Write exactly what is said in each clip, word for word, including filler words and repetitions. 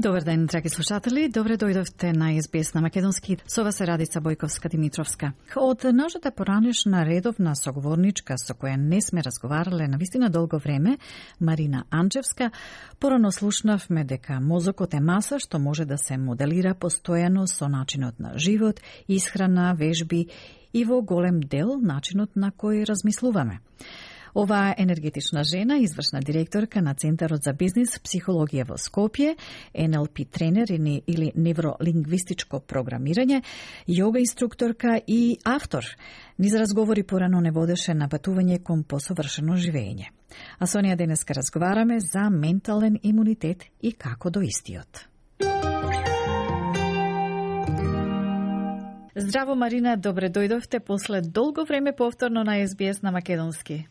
Добар ден, драги слушатели. Добре дојдовте на Ес Би Ес на македонски. Со вас е Радица Бојковска-Димитровска. Од нашата поранешна редовна соговорничка со која не сме разговарале на вистина долго време, Марина Анчевска, порано слушнавме дека мозокот е маса што може да се моделира постојано со начинот на живот, исхрана, вежби и во голем дел начинот на кој размислуваме. Оваа енергетична жена, извршна директорка на Центарот за бизнис, психологија во Скопје, Ен Ел Пи тренер или невролингвистичко програмирање, јога инструкторка и автор, низ разговори порано не водеше на патување кон посовршено живење. А со неја денеска разговараме за ментален имунитет и како до истиот. Здраво, Марина, добре дојдовте после долго време повторно на Ес Би Ес на македонски.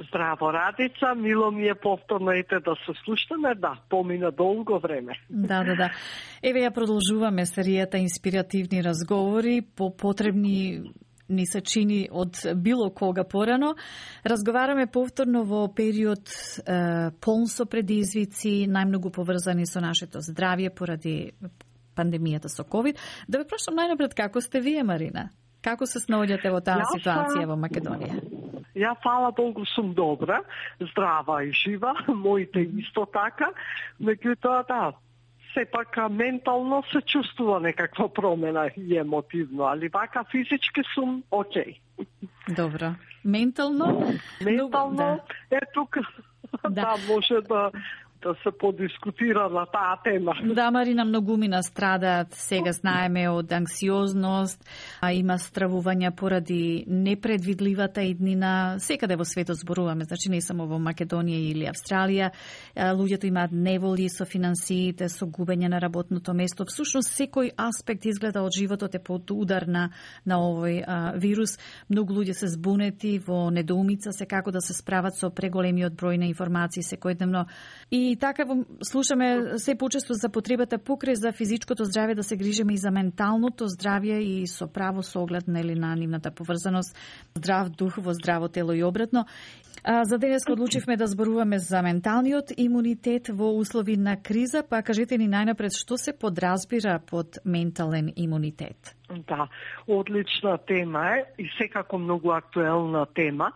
Здраво, Радица, мило ми е повторно ете да се слушаме, да, помина долго време. Да, да, да. Еве ја продолжуваме серијата инспиративни разговори, по потребни ни се чини од било кога порано. Разговараме повторно во период е, полн со предизвици, најмногу поврзани со нашето здравје поради пандемијата со ковид. Да ве прашам најнапред како сте вие, Марина? Како се снаоѓате во таа ситуација во Македонија? Ја, фала Богу, сум добра, здрава и жива, моите исто така, меѓутоа да, сепак ментално се чувствува некаква промена и емотивно, али вака физички сум окей. Добро. Ментално? Ментално, да. Е тука, да. да, може да да се подискутира на таа тема. Да, Марина, многумина страдаат, сега знаеме од анксиозност, а има стравувања поради непредвидливата иднина. Секаде во светот зборуваме, значи не само во Македонија или Австралија. Луѓето имаат неволи со финансиите, со губење на работното место. Всушност, секој аспект изгледа од животот е под удар на, на овој а, вирус. Многу луѓе се збунети во недоумица се како да се справат со преголемиот број на информации секојдневно. И И така слушаме се почесто за потребата покрај за физичкото здравје да се грижиме и за менталното здравје и со право со оглед нели на нивната поврзаност, здрав дух во здраво тело и обратно. А, за денес одлучивме да зборуваме за менталниот имунитет во услови на криза, па кажете ни најнапред што се подразбира под ментален имунитет. Да, одлична тема е и секако многу актуелна тема,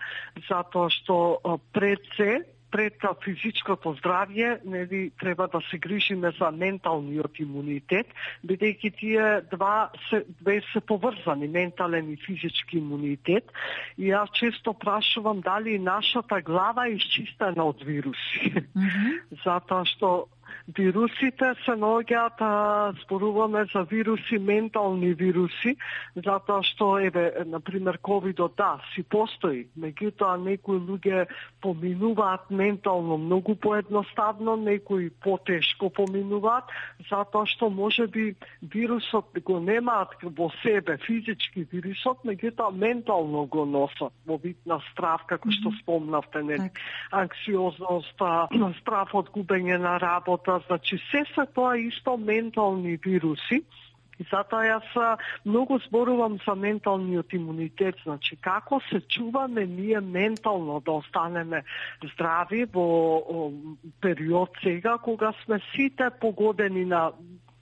затоа што пред се пред физичкото здравје, нели, треба да се грижиме за менталниот имунитет, бидејќи тие два се, две се поврзани, ментален и физички имунитет. И јас често прашувам дали нашата глава е исчистена од вируси. Mm-hmm. Затоа што вирусите се наоѓаат, зборуваме за вируси, ментални вируси, затоа што, еве, например, ковидот, да, си постои, меѓутоа некои луѓе поминуваат ментално многу поедноставно, некои потешко поминуваат, затоа што може би вирусот го немаат во себе, физички вирусот, меѓутоа ментално го носат, во вид на страв, како што спомнавте, не, анксиозност, страв од губење на работа, значи се се тоа исто ментални вируси. И затоа јас многу зборувам за менталниот имунитет, значи како се чуваме ние ментално да останеме здрави во период сега кога сме сите погодени на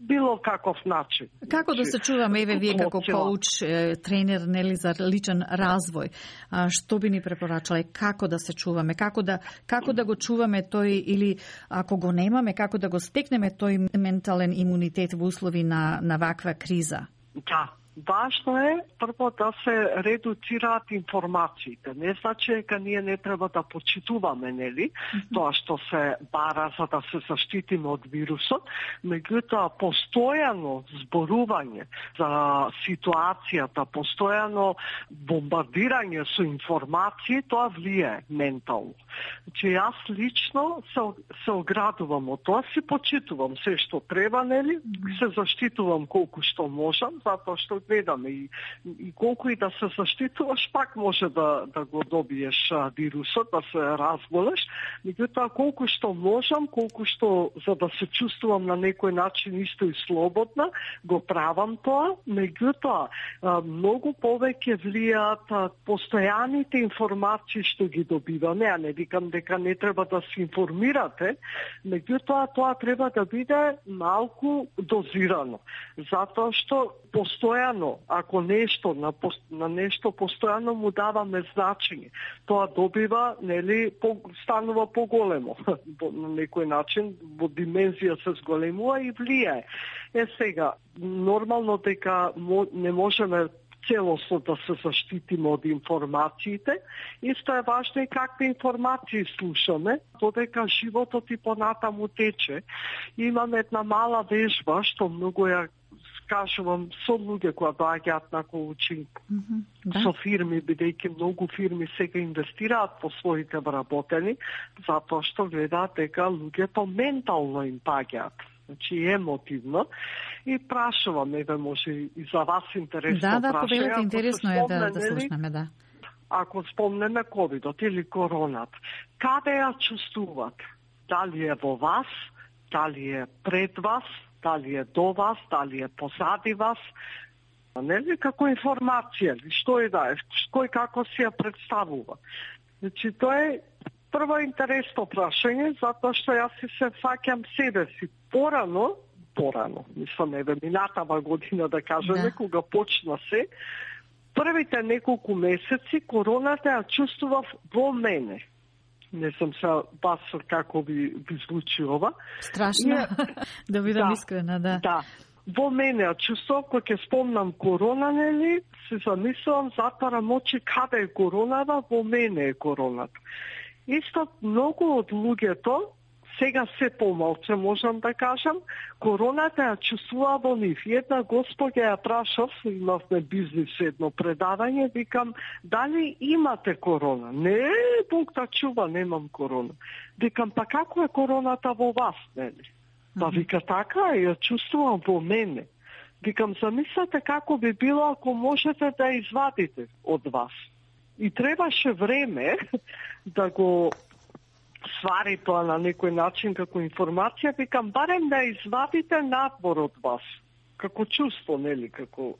било каков начин. Како да се чуваме, еве вие како коуч, тренер, нели, за личен развој, а, што би ни препорачале, како да се чуваме, како да, како да го чуваме тој, или ако го немаме, како да го стекнеме тој ментален имунитет во услови на, на ваква криза? Да. Важно е прво да се редуцираат информациите. Не значи дека ние не треба да почитуваме, нели, mm-hmm. тоа што се бара за да се заштитиме од вирусот, меѓутоа постојано зборување за ситуацијата, постојано бомбардирање со информации, тоа влијае ментално. Че јас лично се, се оградувам од тоа, си почитувам се што треба, нели, се заштитувам колку што можам, затоа што гледаме и, и колку и да се заштитуваш, пак може да, да го добиеш а, вирусот, да се разболеш. Меѓутоа, колку што можам, колку што за да се чувствувам на некој начин исто и слободна, го правам тоа. Меѓутоа, многу повеќе влијаат постојаните информации што ги добиваме, а не викам дека не треба да се информирате, меѓутоа тоа треба да биде малку дозирано. Затоа што постојано, ако нешто на, на нешто постојано му даваме значење, тоа добива, нели, по, станува поголемо. На некој начин, во димензија се зголемува и влијае. Е сега, нормално дека не можеме целосно да се заштитиме од информациите. Исто е важно и какви информации слушаме, додека животот и понатаму тече. Имаме една мала вежба, што многу ја кажувам со луѓе кои доаѓаат на коучинг, mm-hmm, да. Со фирми, бидејќи многу фирми сега инвестираат по своите вработени, затоа што гледаат дека луѓето ментално им паѓаат. Значи емотивно, и прашувам, еве може и за вас интересно да, да, прашање. Да, да, интересно е да, да слушнеме, да. Ако спомнеме ковидот или коронат, каде ја чувствувате? Дали е во вас, дали е пред вас, дали е до вас, дали е позади вас? Нели, како информација, што е да е, кој како си ја представува. Значи, тоа е прво интересно прашање, затоа што јас си се фаќам себе си. Порано, порано, мислам, еве, минатава година, да кажеме, да. Кога почна се, првите неколку месеци короната ја чувствував во мене. Не знам се бас како ви, ви звучи ова. Страшно, и, да бидам да, искрена, да. Да. Во мене ја чувствував, кога ќе спомнам корона, нели, се замислувам, затварам очи, каде е коронава, во мене е короната. Исто многу од луѓето, сега се помалце можам да кажам, короната ја чувствува во нив. Една господја ја прашав, имавме бизнис едно предавање, викам, дали имате корона? Не, Бог да чува, немам корона. Викам, па како е короната во вас, нели? Па вика, така е, ја чувствувам во мене. Викам, замислете како би било ако можете да извадите од вас. И требаше време да го свари тоа на некој начин како информација, викам, барем да извадите надвор од вас, како чувство, нели, како...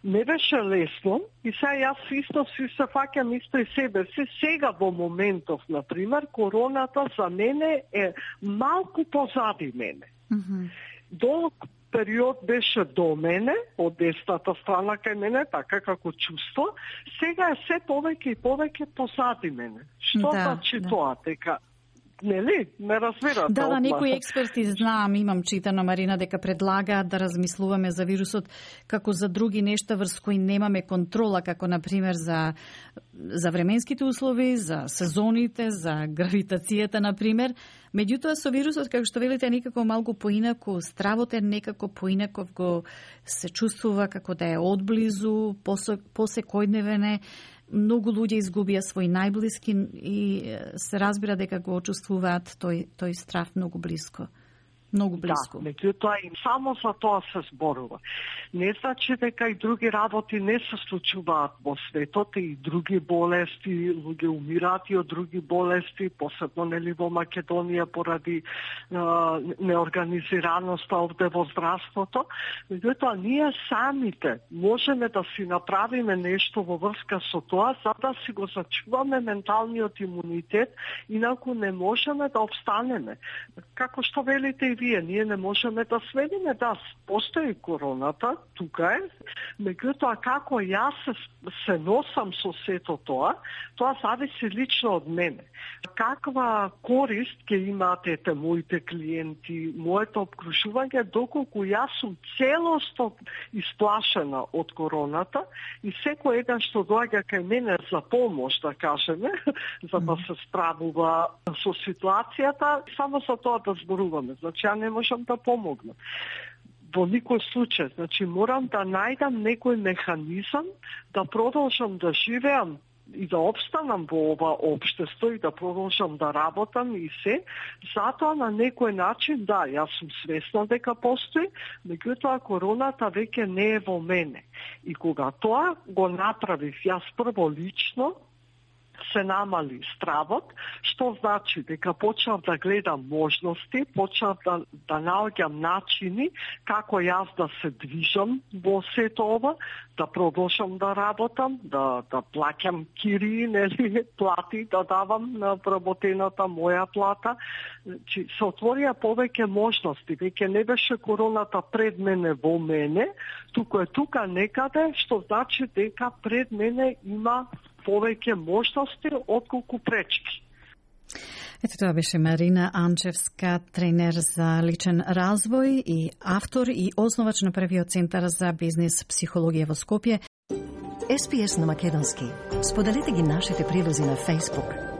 Не беше лесно и сега јас исто си се фаќам исто и себе си. Сега во моментов, например, короната за мене е малку позади мене. Mm-hmm. Долг период беше до мене, од десната страна кај мене, така како чувство. Сега е се повеќе и повеќе позади мене. Што да, значи да. Тоа? Дека нели, ме разбирате. Да, да, некои експерти знаам, имам читано, Марина, дека предлагаат да размислуваме за вирусот како за други нешта врз кои немаме контрола, како например за за временските услови, за сезоните, за гравитацијата, например. Меѓутоа со вирусот, како што велите, некако малку поинако, стравот е некако поинаков, го се чувствува како да е одблизу, посекојдневен е. Многу луѓе изгубија свој најблиски и се разбира дека го чувствуваат тој, тој страв многу близко. Многу близко. Да, меѓутоа и само за тоа се зборува. Не значи дека и други работи не се случуваат во светот, и други болести, луѓе умираат и од други болести, посебно нели во Македонија поради е, неорганизираноста овде во здравството. Меѓутоа ние самите можеме да си направиме нешто во врска со тоа, за да си го зачуваме менталниот имунитет, инаку не можеме да обстанеме. Како што велите и вие, ние не можеме да сведиме, да, постои короната, тука е, меѓутоа како јас се, се носам со сето тоа, тоа зависи лично од мене. Каква корист ќе имаат ете моите клиенти, моето обкружување, доколку јас сум целосно исплашена од короната и секој еден што доаѓа кај мене за помош, да кажеме, за да се справува со ситуацијата, само за тоа да зборуваме. Значи, ја не можам да помогнам. Во никој случај, значи морам да најдам некој механизам да продолжам да живеам и да обстанам во ова општество и да продолжам да работам и се, затоа на некој начин, да, јас сум свесна дека постои, меѓутоа короната веќе не е во мене. И кога тоа го направив јас прво лично, се намали стравот, што значи дека почнав да гледам можности, почнав да, да наоѓам начини како јас да се движам во сето ова, да продолжам да работам, да, да плаќам кири, нели, плати, да давам на вработената моја плата. Чи, се отворија повеќе можности, веќе не беше короната пред мене во мене, туку е тука некаде, што значи дека пред мене има повеќе можности отколку пречки. Ето тоа беше Марина Анчевска, тренер за личен развој и автор и основач на првиот центар за бизнис психологија во Скопје. Ес Пи Ес на македонски. Споделете ги нашите прилози на Facebook,